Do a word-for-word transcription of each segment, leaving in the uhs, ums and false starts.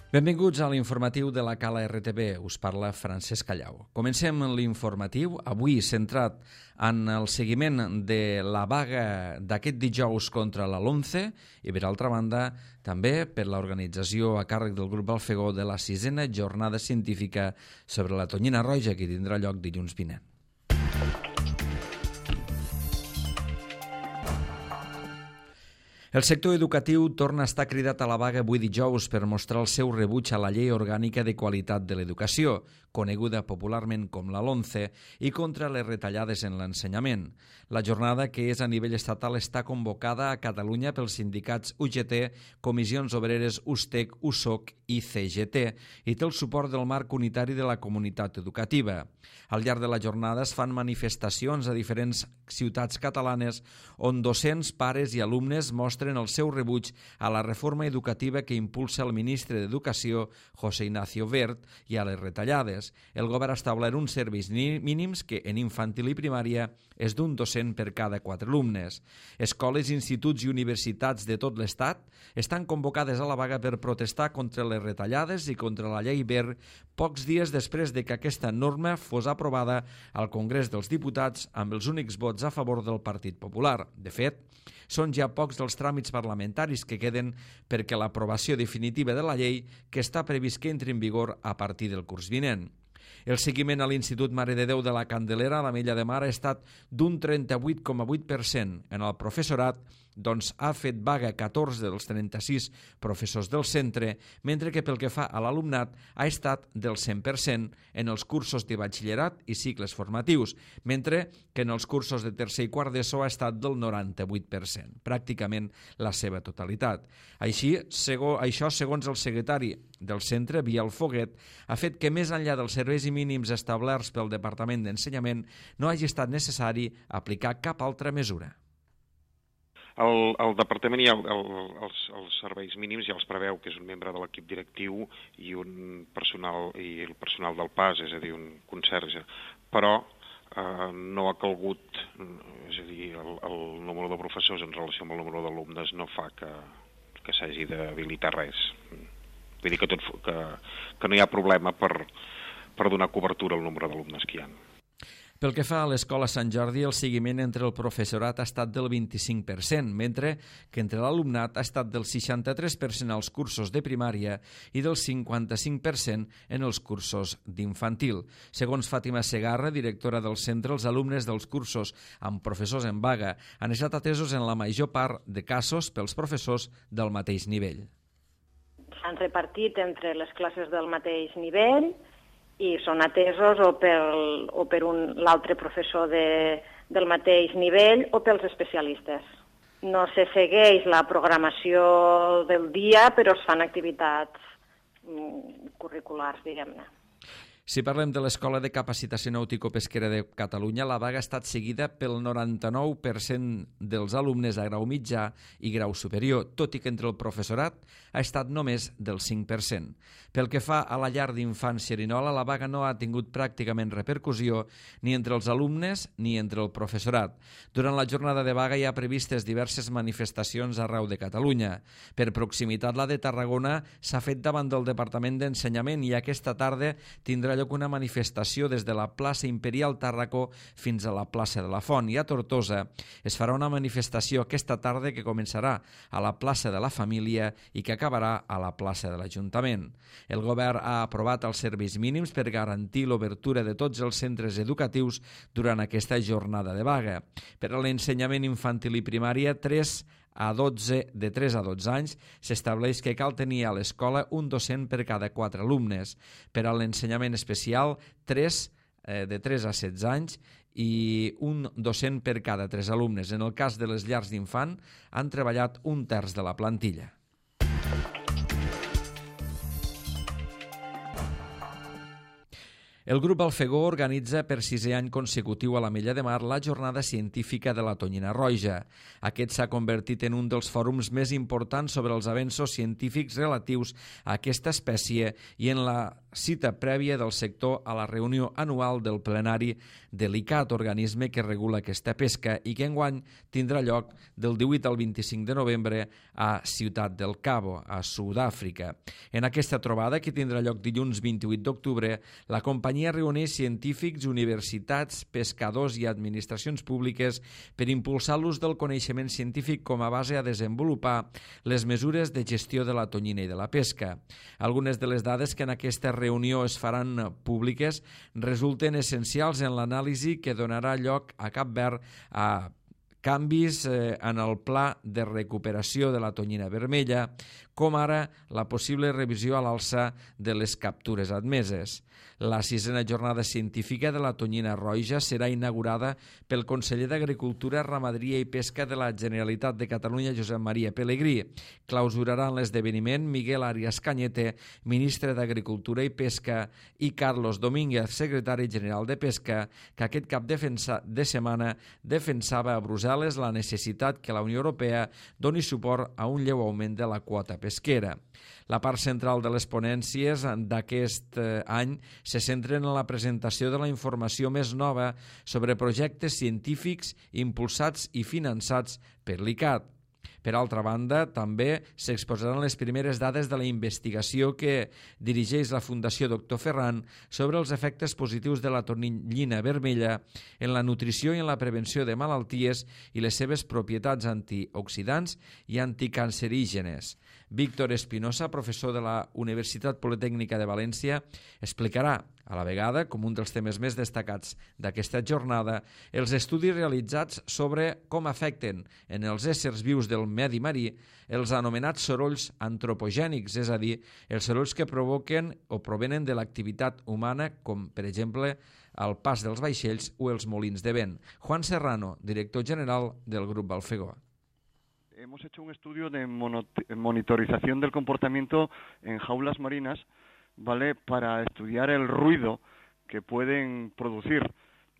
Benvinguts a l'informatiu de la Cala R T B. Us parla Francesc Callau. Comencem l'informatiu, avui centrat en el seguiment de la vaga d'aquest dijous contra la LOMCE i, per altra banda, també per l'organització a càrrec del grup Alfegó de la sisena jornada científica sobre la tonyina roja, que tindrà lloc dilluns vinent. El sector educatiu torna a estar cridat a la vaga avui dijous per mostrar el seu rebuig a la Llei Orgànica de Qualitat de l'Educació, coneguda popularment com la LOMCE, i contra les retallades en l'ensenyament. La jornada, que és a nivell estatal, està convocada a Catalunya pels sindicats U G T, Comissions Obreres U S T E C, U S O C i C G T, i té el suport del marc unitari de la comunitat educativa. Al llarg de la jornada es fan manifestacions a diferents ciutats catalanes on docents, pares i alumnes mostren el seu rebuig a la reforma educativa que impulsa el ministre d'Educació, José Ignacio Wert, i a les retallades. El govern ha establert uns serveis mínims que en infantil i primària és d'un docent per cada quatre alumnes. Escoles, instituts i universitats de tot l'Estat estan convocades a la vaga per protestar contra les retallades i contra la llei Wert pocs dies després de que aquesta norma fos aprovada al Congrés dels Diputats amb els únics vots a favor del Partit Popular. De fet, són ja pocs els tràmits parlamentaris que queden perquè l'aprovació definitiva de la llei, que està previst que entri en vigor a partir del curs vinent. El seguiment a l'Institut Mare de Déu de la Candelera, a l'Ametlla de Mar, ha estat d'un trenta-vuit coma vuit per cent. En el professorat, doncs, ha fet vaga catorze dels trenta-sis professors del centre, mentre que pel que fa a l'alumnat ha estat del cent per cent en els cursos de batxillerat i cicles formatius, mentre que en els cursos de tercer i quart d'ESO ha estat del noranta-vuit per cent, pràcticament la seva totalitat. Així, segons, això, segons el secretari del centre, Biel Foguet, ha fet que més enllà dels serveis mínims establerts pel Departament d'Ensenyament no hagi estat necessari aplicar cap altra mesura. El, el departament i el, el, els, els serveis mínims ja els preveu, que és un membre de l'equip directiu i un personal i el personal del P A S, és a dir, un conserge, però eh, no ha calgut, és a dir, el, el número de professors en relació amb el número d'alumnes no fa que, que s'hagi d'habilitar res. Vull dir que, tot, que, que no hi ha problema per, per donar cobertura al nombre d'alumnes que hi ha. Pel que fa a l'Escola Sant Jordi, el seguiment entre el professorat ha estat del vint-i-cinc per cent, mentre que entre l'alumnat ha estat del seixanta-tres per cent als cursos de primària i del cinquanta-cinc per cent en els cursos d'infantil. Segons Fàtima Segarra, directora del centre, els alumnes dels cursos amb professors en vaga han estat atesos en la major part de casos pels professors del mateix nivell. S'han repartit entre les classes del mateix nivell i són atesos o per, o per un, l'altre professor de, del mateix nivell o pels especialistes. No se segueix la programació del dia, però es fan activitats mm, curriculars, diguem-ne. Si parlem de l'Escola de Capacitació Nàutico-Pesquera de Catalunya, la vaga ha estat seguida pel noranta-nou per cent dels alumnes a grau mitjà i grau superior, tot i que entre el professorat ha estat només del cinc per cent. Pel que fa a la llar d'infants Xerinola, la vaga no ha tingut pràcticament repercussió ni entre els alumnes ni entre el professorat. Durant la jornada de vaga hi ha previstes diverses manifestacions arreu de Catalunya. Per proximitat, la de Tarragona s'ha fet davant del Departament d'Ensenyament i aquesta tarda tindrà lloc una manifestació des de la plaça Imperial Tàrraco fins a la plaça de la Font, i a Tortosa es farà una manifestació aquesta tarda que començarà a la plaça de la Família i que acabarà a la plaça de l'Ajuntament. El govern ha aprovat els serveis mínims per garantir l'obertura de tots els centres educatius durant aquesta jornada de vaga. Per a l'ensenyament infantil i primària, tres a dotze, de tres a dotze anys, s'estableix que cal tenir a l'escola un docent per cada quatre alumnes. Per a l'ensenyament especial, tres, eh, de tres a setze anys i un docent per cada tres alumnes. En el cas de les llars d'infant, han treballat un terç de la plantilla. El grup Alfegó organitza per sisè any consecutiu a l'Ametlla de Mar la Jornada Científica de la Tonyina Roja. Aquest s'ha convertit en un dels fòrums més importants sobre els avenços científics relatius a aquesta espècie i en la cita prèvia del sector a la reunió anual del plenari de l'I C A T, organisme que regula aquesta pesca i que enguany tindrà lloc del divuit al vint-i-cinc de novembre a Ciutat del Cabo, a Sud-àfrica. En aquesta trobada, que tindrà lloc dilluns vint-i-vuit d'octubre, la companyia reuneix científics, universitats, pescadors i administracions públiques per impulsar l'ús del coneixement científic com a base a desenvolupar les mesures de gestió de la tonyina i de la pesca. Algunes de les dades que en aquesta reunió es faran públiques resulten essencials en l'anàlisi que donarà lloc a Cap Verd a canvis en el pla de recuperació de la tonyina vermella, com ara la possible revisió a l'alça de les captures admeses. La sisena jornada científica de la tonyina roja serà inaugurada pel conseller d'Agricultura, Ramaderia i Pesca de la Generalitat de Catalunya, Josep Maria Pelegrí. Clausuraran l'esdeveniment Miguel Arias Cañete, ministre d'Agricultura i Pesca, i Carlos Domínguez, secretari general de Pesca, que aquest cap de setmana defensava a Brussel·les la necessitat que la Unió Europea doni suport a un lleu augment de la quota pesquera. La part central de les ponències d'aquest any se centren en la presentació de la informació més nova sobre projectes científics impulsats i finançats per l'I C A T. Per altra banda, també s'exposaran les primeres dades de la investigació que dirigeix la Fundació Doctor Ferran sobre els efectes positius de la tonyina vermella en la nutrició i en la prevenció de malalties i les seves propietats antioxidants i anticancerígenes. Víctor Espinosa, professor de la Universitat Politècnica de València, explicarà a la vegada, com un dels temes més destacats d'aquesta jornada, els estudis realitzats sobre com afecten en els éssers vius del medi marí els anomenats sorolls antropogènics, és a dir, els sorolls que provoquen o provenen de l'activitat humana, com, per exemple, el pas dels vaixells o els molins de vent. Juan Serrano, director general del Grup Alfegó. Hemos hecho un estudio de monitorización del comportamiento en jaulas marinas, ¿vale?, para estudiar el ruido que pueden producir,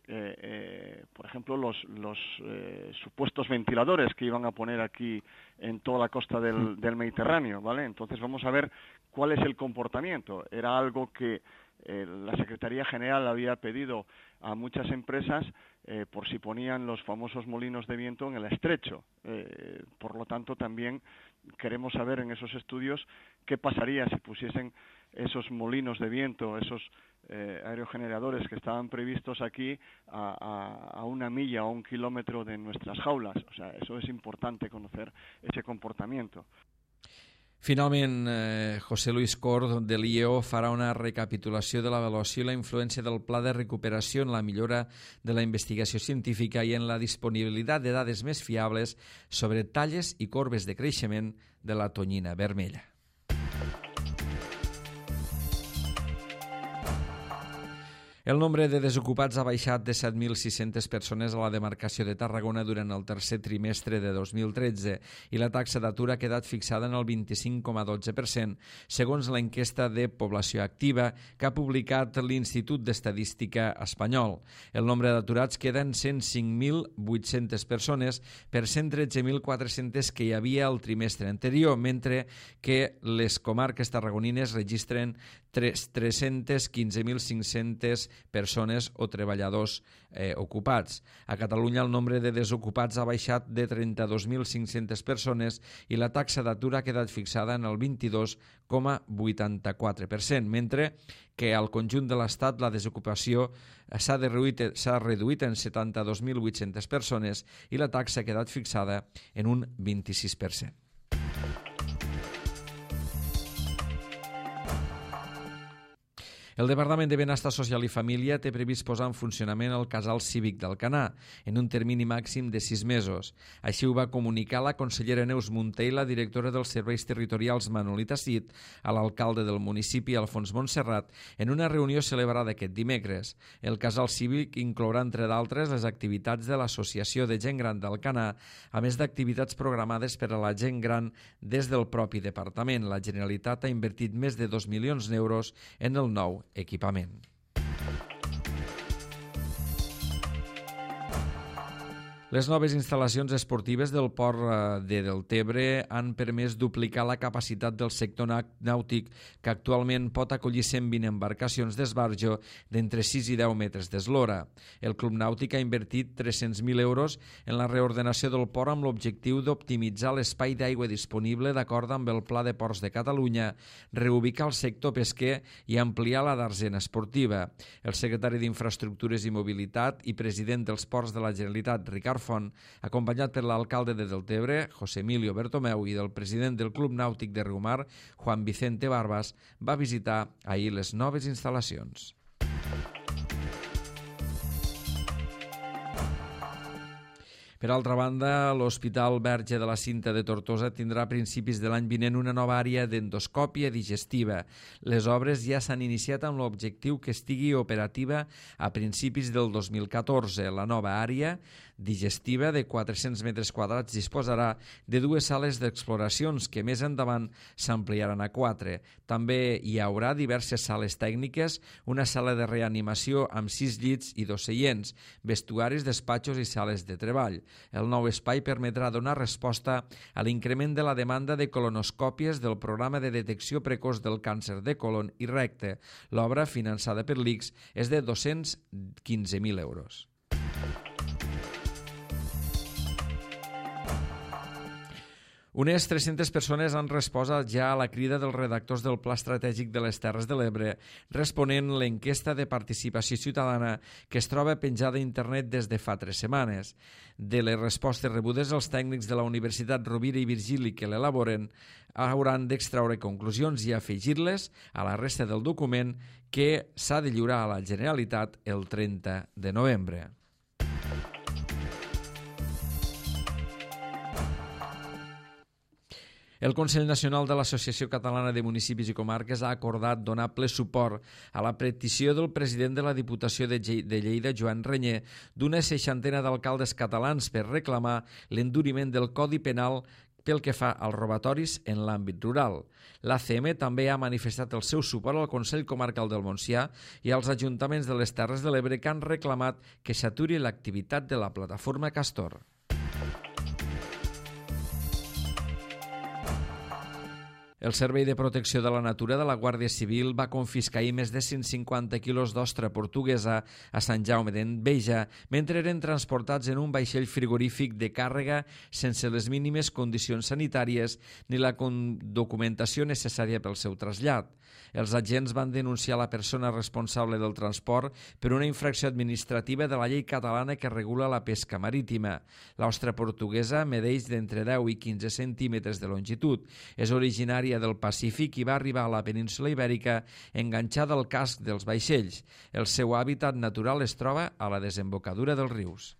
eh, eh, por ejemplo, los, los eh, supuestos ventiladores que iban a poner aquí en toda la costa del, del Mediterráneo, ¿vale? Entonces vamos a ver cuál es el comportamiento. Era algo que eh, la Secretaría General había pedido a muchas empresas eh, por si ponían los famosos molinos de viento en el estrecho. Eh, por lo tanto, también queremos saber en esos estudios qué pasaría si pusiesen esos molinos de viento, esos eh, aerogeneradores que estaban previstos aquí a, a, a una milla o un kilómetro de nuestras jaulas. O sea, eso es importante conocer ese comportamiento. Finalment, eh, José Luis Cor de l'I E O farà una recapitulació de l'avaluació i la influència del pla de recuperació en la millora de la investigació científica i en la disponibilitat de dades més fiables sobre talles i corbes de creixement de la tonyina vermella. El nombre de desocupats ha baixat de set mil sis-centes persones a la demarcació de Tarragona durant el tercer trimestre de dos mil tretze i la taxa d'atur ha quedat fixada en el vint-i-cinc coma dotze per cent, segons l'enquesta de població activa que ha publicat l'Institut d'Estadística espanyol. El nombre d'aturats queda en cent cinc mil vuit-centes persones per cent tretze mil quatre-centes que hi havia el trimestre anterior, mentre que les comarques tarragonines registren tres-cents quinze mil cinc-centes persones o treballadors eh, ocupats. A Catalunya el nombre de desocupats ha baixat de trenta-dos mil cinc-centes persones i la taxa d'atur ha quedat fixada en el vint-i-dos coma vuitanta-quatre per cent, mentre que al conjunt de l'Estat la desocupació s'ha reduït, s'ha reduït en setanta-dos mil vuit-centes persones i la taxa ha quedat fixada en un vint-i-sis per cent. El Departament de Benestar Social i Família té previst posar en funcionament el casal cívic d'Alcanar en un termini màxim de sis mesos. Així ho va comunicar la consellera Neus Munté i la directora dels Serveis Territorials Manolita Cid a l'alcalde del municipi, Alfons Montserrat, en una reunió celebrada aquest dimecres. El casal cívic inclourà, entre d'altres, les activitats de l'Associació de Gent Gran d'Alcanar, a més d'activitats programades per a la gent gran des del propi departament. La Generalitat ha invertit més de dos milions d'euros en el nou equipament. Les noves instal·lacions esportives del port de Deltebre han permès duplicar la capacitat del sector nàutic, que actualment pot acollir cent vint embarcacions d'esbarjo d'entre sis i deu metres d'eslora. El Club Nàutic ha invertit tres-cents mil euros en la reordenació del port amb l'objectiu d'optimitzar l'espai d'aigua disponible d'acord amb el Pla de Ports de Catalunya, reubicar el sector pesquer i ampliar la darsena esportiva. El secretari d'Infraestructures i Mobilitat i president dels Ports de la Generalitat, Ricard Font, acompanyat per l'alcalde de Deltebre, José Emilio Bertomeu, i del president del Club Nàutic de Riumar, Juan Vicente Barbas, va visitar ahir les noves instal·lacions. Per altra banda, l'Hospital Verge de la Cinta de Tortosa tindrà a principis de l'any vinent una nova àrea d'endoscòpia digestiva. Les obres ja s'han iniciat amb l'objectiu que estigui operativa a principis del dos mil catorze. La nova àrea digestiva de quatre-cents metres quadrats disposarà de dues sales d'exploracions que més endavant s'ampliaran a quatre. També hi haurà diverses sales tècniques, una sala de reanimació amb sis llits i dos seients, vestuaris, despatxos i sales de treball. El nou espai permetrà donar resposta a l'increment de la demanda de colonoscòpies del programa de detecció precoç del càncer de colon i recte. L'obra, finançada per l'I C S, és de dos-cents quinze mil euros. Unes tres-centes persones han respost ja a la crida dels redactors del Pla Estratègic de les Terres de l'Ebre, responent l'enquesta de participació ciutadana que es troba penjada a internet des de fa tres setmanes. De les respostes rebudes, els tècnics de la Universitat Rovira i Virgili que l'elaboren hauran d'extraure conclusions i afegir-les a la resta del document que s'ha de lliurar a la Generalitat el trenta de novembre. El Consell Nacional de l'Associació Catalana de Municipis i Comarques ha acordat donar ple suport a la petició del president de la Diputació de Lleida, Joan Reñé, d'una seixantena d'alcaldes catalans per reclamar l'enduriment del Codi Penal pel que fa als robatoris en l'àmbit rural. L'A C M també ha manifestat el seu suport al Consell Comarcal del Montsià i als ajuntaments de les Terres de l'Ebre que han reclamat que s'aturi l'activitat de la plataforma Castor. El Servei de Protecció de la Natura de la Guàrdia Civil va confiscar ahir més de cent cinquanta quilos d'ostra portuguesa a Sant Jaume d'Enveja mentre eren transportats en un vaixell frigorífic de càrrega sense les mínimes condicions sanitàries ni la documentació necessària pel seu trasllat. Els agents van denunciar la persona responsable del transport per una infracció administrativa de la llei catalana que regula la pesca marítima. L'ostra portuguesa medeix d'entre deu i quinze centímetres de longitud. És originària del Pacífic i va arribar a la península Ibèrica enganxada al casc dels vaixells. El seu hàbitat natural es troba a la desembocadura dels rius.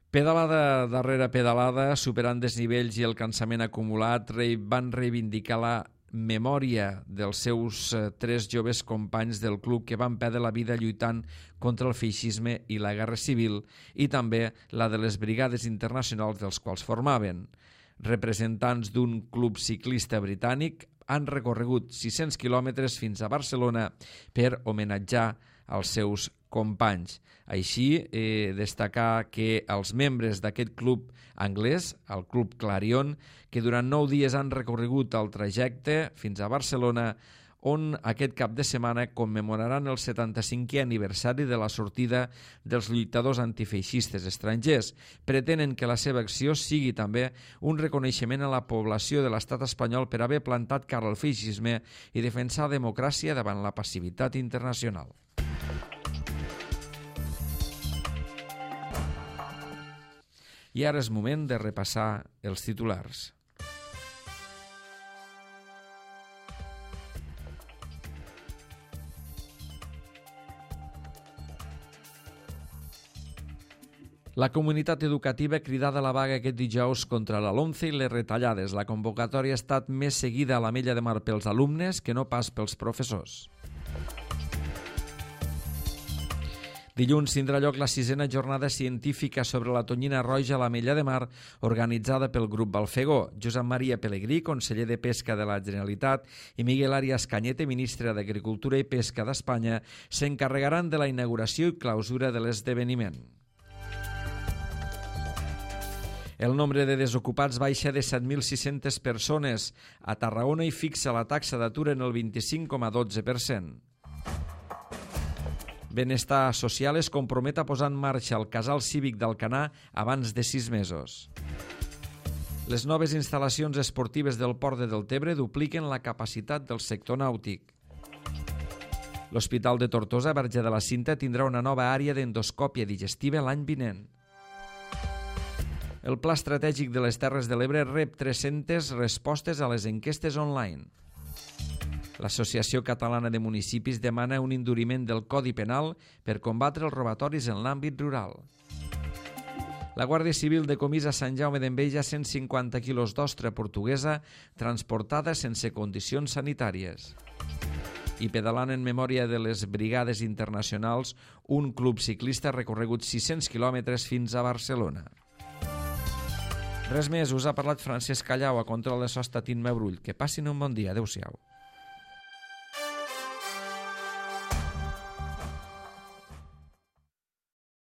Pedalada darrere pedalada, superant desnivells i el cansament acumulat, van reivindicar la memòria dels seus tres joves companys del club que van perdre la vida lluitant contra el feixisme i la guerra civil i també la de les brigades internacionals dels quals formaven. Representants d'un club ciclista britànic han recorregut sis-cents quilòmetres fins a Barcelona per homenatjar els seus companys. Així, eh, destacar que els membres d'aquest club anglès, el Club Clarion, que durant nou dies han recorregut el trajecte fins a Barcelona, on aquest cap de setmana commemoraran el setanta-cinquè aniversari de la sortida dels lluitadors antifeixistes estrangers. Pretenen que la seva acció sigui també un reconeixement a la població de l'estat espanyol per haver plantat cara al feixisme i defensar la democràcia davant la passivitat internacional. I ara és moment de repassar els titulars. La comunitat educativa cridada a la vaga aquest dijous contra la LOMCE i les retallades. La convocatòria ha estat més seguida a l'Ametlla de Mar pels alumnes que no pas pels professors. Dilluns tindrà lloc la sisena jornada científica sobre la tonyina roja a l'Ametlla de Mar, organitzada pel grup Balfegó. Josep Maria Pelegrí, conseller de Pesca de la Generalitat, i Miguel Arias Cañete, ministre d'Agricultura i Pesca d'Espanya, s'encarregaran de la inauguració i clausura de l'esdeveniment. El nombre de desocupats baixa de set mil sis-centes persones a Tarragona i fixa la taxa d'atur en el vint-i-cinc coma dotze per cent. Benestar Social es compromet a posar en marxa el casal cívic d'Alcanar abans de sis mesos. Les noves instal·lacions esportives del Port de Deltebre dupliquen la capacitat del sector nàutic. L'Hospital de Tortosa, Verge de la Cinta, tindrà una nova àrea d'endoscòpia digestiva l'any vinent. El Pla Estratègic de les Terres de l'Ebre rep tres-centes respostes a les enquestes online. L'Associació Catalana de Municipis demana un enduriment del Codi Penal per combatre els robatoris en l'àmbit rural. La Guàrdia Civil decomissa a Sant Jaume d'Enveja cent cinquanta quilos d'ostra portuguesa transportada sense condicions sanitàries. I pedalant en memòria de les Brigades Internacionals, un club ciclista ha recorregut sis-cents quilòmetres fins a Barcelona. Res més, us ha parlat Francesc Callau, a control de so està Tint Mebrull. Que passin un bon dia. Adéu-siau.